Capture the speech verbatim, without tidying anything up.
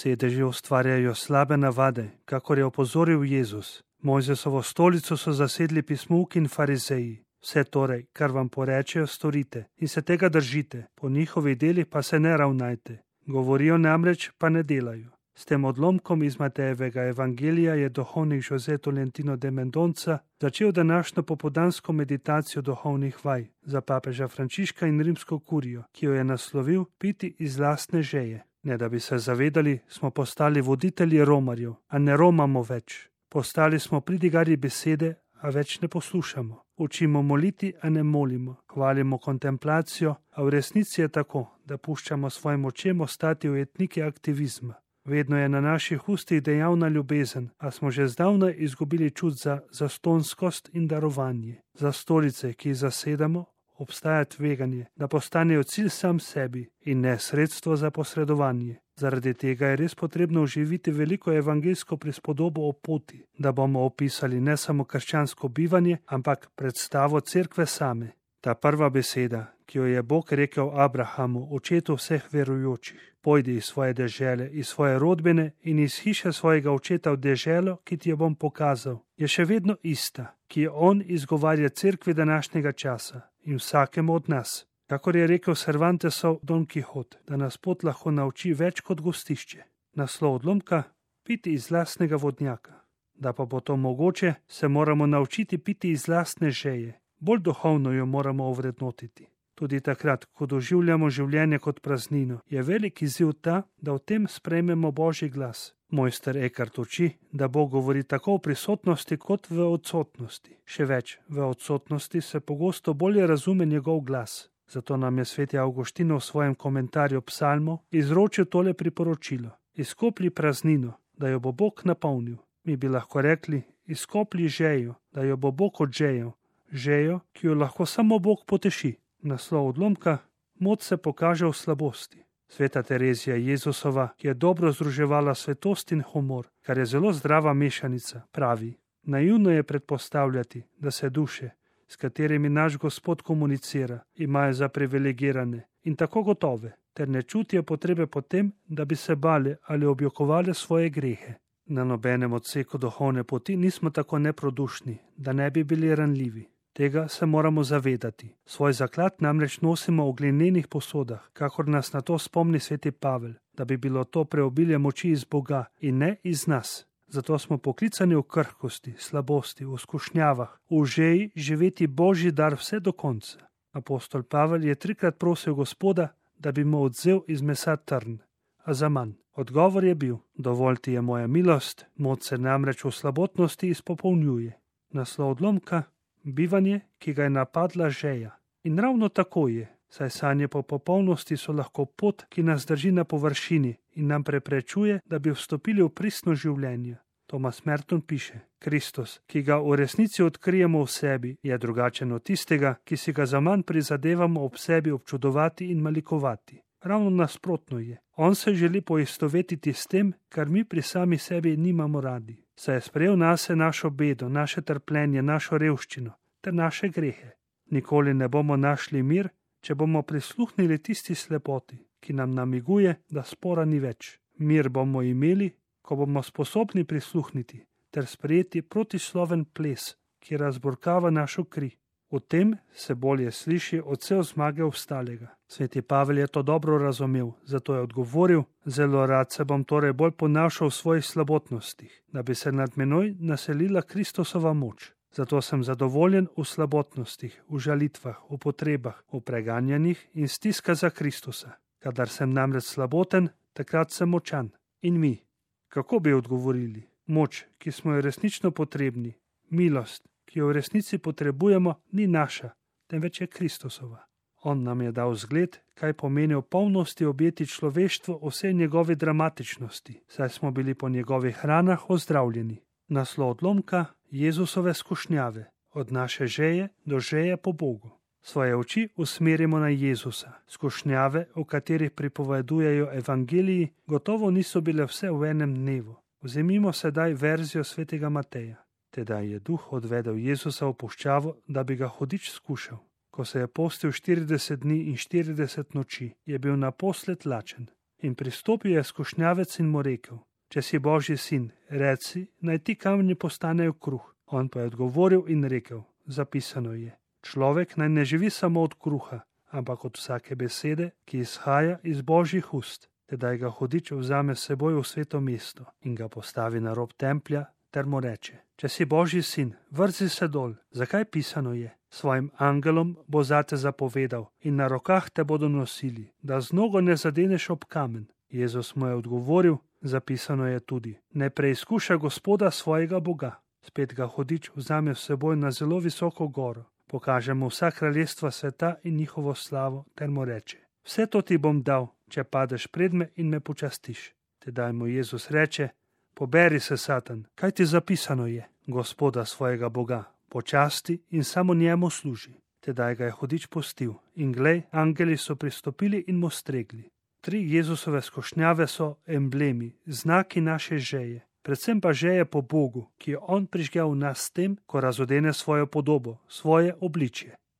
Sedeži ustvarjajo slabe navade, kakor je opozoril Jezus. Mojzesovo stolico so zasedli pismouki in farizeji. Vse torej, kar vam porečejo, storite in se tega držite, po njihovih delih pa se ne ravnajte. Govorijo namreč, pa ne delajo. S tem odlomkom iz Matejevega evangelija je duhovnik José Tolentino de Mendonca začel današnjo popoldansko meditacijo duhovnih vaj za papeža Frančiška in rimsko kurijo, ki jo je naslovil Piti iz lastne žeje. Ne da bi se zavedali, smo postali voditelji romarjev, a ne romamo več. Postali smo pridigarji besede, a več ne poslušamo. Učimo moliti, a ne molimo. Hvalimo kontemplacijo, a v resnici je tako, da puščamo svojim očem ostati ujetniki aktivizma. Vedno je na naših ustih dejavna ljubezen, a smo že zdavnaj izgubili čut za zastonskost in darovanje. Za stolice, ki jih zasedamo, obstaja tveganje, da postanejo cilj sam sebi in ne sredstvo za posredovanje. Zaradi tega je res potrebno oživiti veliko evangeljsko prispodobo o poti, da bomo opisali ne samo krščansko bivanje, ampak predstavo cerkve same. Ta prva beseda, ki jo je Bog rekel Abrahamu, očetu vseh verujočih: pojdi iz svoje dežele, iz svoje rodbine in iz hiše svojega očeta v deželo, ki ti jo bom pokazal, je še vedno ista, ki jo on izgovarja cerkvi današnjega časa in vsakemu od nas. Kakor je rekel Cervantesov Don Quixote, da nas pot lahko nauči več kot gostišče. Naslov odlomka: piti iz lastnega vodnjaka. Da pa bo to mogoče, se moramo naučiti piti iz lastne žeje. Bolj duhovno jo moramo ovrednotiti. Tudi takrat, ko doživljamo življenje kot praznino, je velik izziv ta, da v tem sprejmemo Božji glas. Mojster Eckhart uči, da Bog govori tako v prisotnosti kot v odsotnosti. Še več, v odsotnosti se pogosto bolje razume njegov glas. Zato nam je sveti Avguštin v svojem komentarju psalmov izročil tole priporočilo: izkoplji praznino, da jo bo Bog napolnil. Mi bi lahko rekli: izkoplji žejo, da jo bo Bog odžejel, žejo, ki jo lahko samo Bog poteši. Naslov odlomka: moč se pokaže v slabosti. Sveta Terezija Jezusova, ki je dobro združevala svetost in humor, kar je zelo zdrava mešanica, pravi: naivno je predpostavljati, da se duše, s katerimi naš Gospod komunicira, imajo za privilegirane in tako gotove, ter ne čutijo potrebe po tem, da bi se bale ali objokovale svoje grehe. Na nobenem odseku duhovne poti nismo tako neprodušni, da ne bi bili ranljivi. Tega se moramo zavedati. Svoj zaklad namreč nosimo v glinenih posodah, kakor nas na to spomni sveti Pavel, da bi bilo to preobilje moči iz Boga in ne iz nas. Zato smo poklicani v krhkosti, slabosti, v skušnjavah, v žeji živeti Božji dar vse do konca. Apostol Pavel je trikrat prosil Gospoda, da bi mu odvzel iz mesa trn, a zaman. Odgovor je bil: dovolj ti je moja milost, moč se namreč v slabotnosti izpopolnjuje. Naslov odlomka: bivanje, ki ga je napadla žeja. In ravno tako je, saj sanje po popolnosti so lahko pot, ki nas drži na površini in nam preprečuje, da bi vstopili v pristno življenje. Thomas Merton piše: Kristus, ki ga v resnici odkrijemo v sebi, je drugačen od tistega, ki si ga zaman prizadevamo ob sebi občudovati in malikovati. Ravno nasprotno je. On se želi poistovetiti s tem, kar mi pri sami sebi nimamo radi. Saj je sprejel nase našo bedo, naše trpljenje, našo revščino ter naše grehe. Nikoli ne bomo našli mir, če bomo prisluhnili tisti slepoti, ki nam namiguje, da spora ni več. Mir bomo imeli, ko bomo sposobni prisluhniti ter sprejeti protisloven ples, ki razburkava našo kri. V tem se bolje sliši odsev zmage obstalega. Sveti Pavel je to dobro razumel, zato je odgovoril: zelo rad se bom torej bolj ponašal v svojih slabotnostih, da bi se nad menoj naselila Kristusova moč. Zato sem zadovoljen v slabotnostih, v žalitvah, v potrebah, v preganjanjih in stiska za Kristusa. Kadar sem namreč slaboten, takrat sem močan. In mi, kako bi odgovorili? Moč, ki smo jo resnično potrebni, milost, ki jo v resnici potrebujemo, ni naša, temveč je Kristusova. On nam je dal zgled, kaj pomeni v polnosti objeti človeštvo vse njegove dramatičnosti, saj smo bili po njegovih ranah ozdravljeni. Naslov odlomka: Jezusove skušnjave, od naše žeje do žeje po Bogu. Svoje oči usmerimo na Jezusa. Skušnjave, v katerih pripovedujejo evangeliji, gotovo niso bile vse v enem dnevu. Vzemimo sedaj verzijo svetega Mateja. Tedaj je duh odvedel Jezusa v puščavo, da bi ga hudič skušal. Ko se je postil štirideset dni in štirideset noči, je bil naposled lačen. In pristopil je skušnjavec in mu rekel: Če si Božji sin, reci, naj ti kamni postanejo kruh. On pa je odgovoril in rekel: Zapisano je, človek naj ne živi samo od kruha, ampak od vsake besede, ki izhaja iz Božjih ust. Tedaj ga hudič vzame s seboj v sveto mesto in ga postavi na rob templja ter mu reče: Če si Božji sin, vrzi se dol, zakaj pisano je? Svojim angelom bo zate zapovedal in na rokah te bodo nosili, da z nogo ne zadeneš ob kamen. Jezus mu je odgovoril: Zapisano je tudi, ne preizkuša Gospoda svojega Boga. Spet ga hudič vzame s seboj na zelo visoko goro, pokaže mu vsa kraljestva sveta in njihovo slavo ter mu reče: Vse to ti bom dal, če padeš pred me in me počastiš. Tedaj mu Jezus reče: Poberi se, Satan, kaj ti zapisano je? Gospoda svojega Boga počasti in samo njemu služi. Tedaj ga je hudič pustil in glej, angeli so pristopili in mu stregli. Tri Jezusove skušnjave so emblemi, znaki naše žeje, predvsem pa žeje po Bogu, ki jo on prižgal v nas s tem, ko razodene svojo podobo, svoje obličje.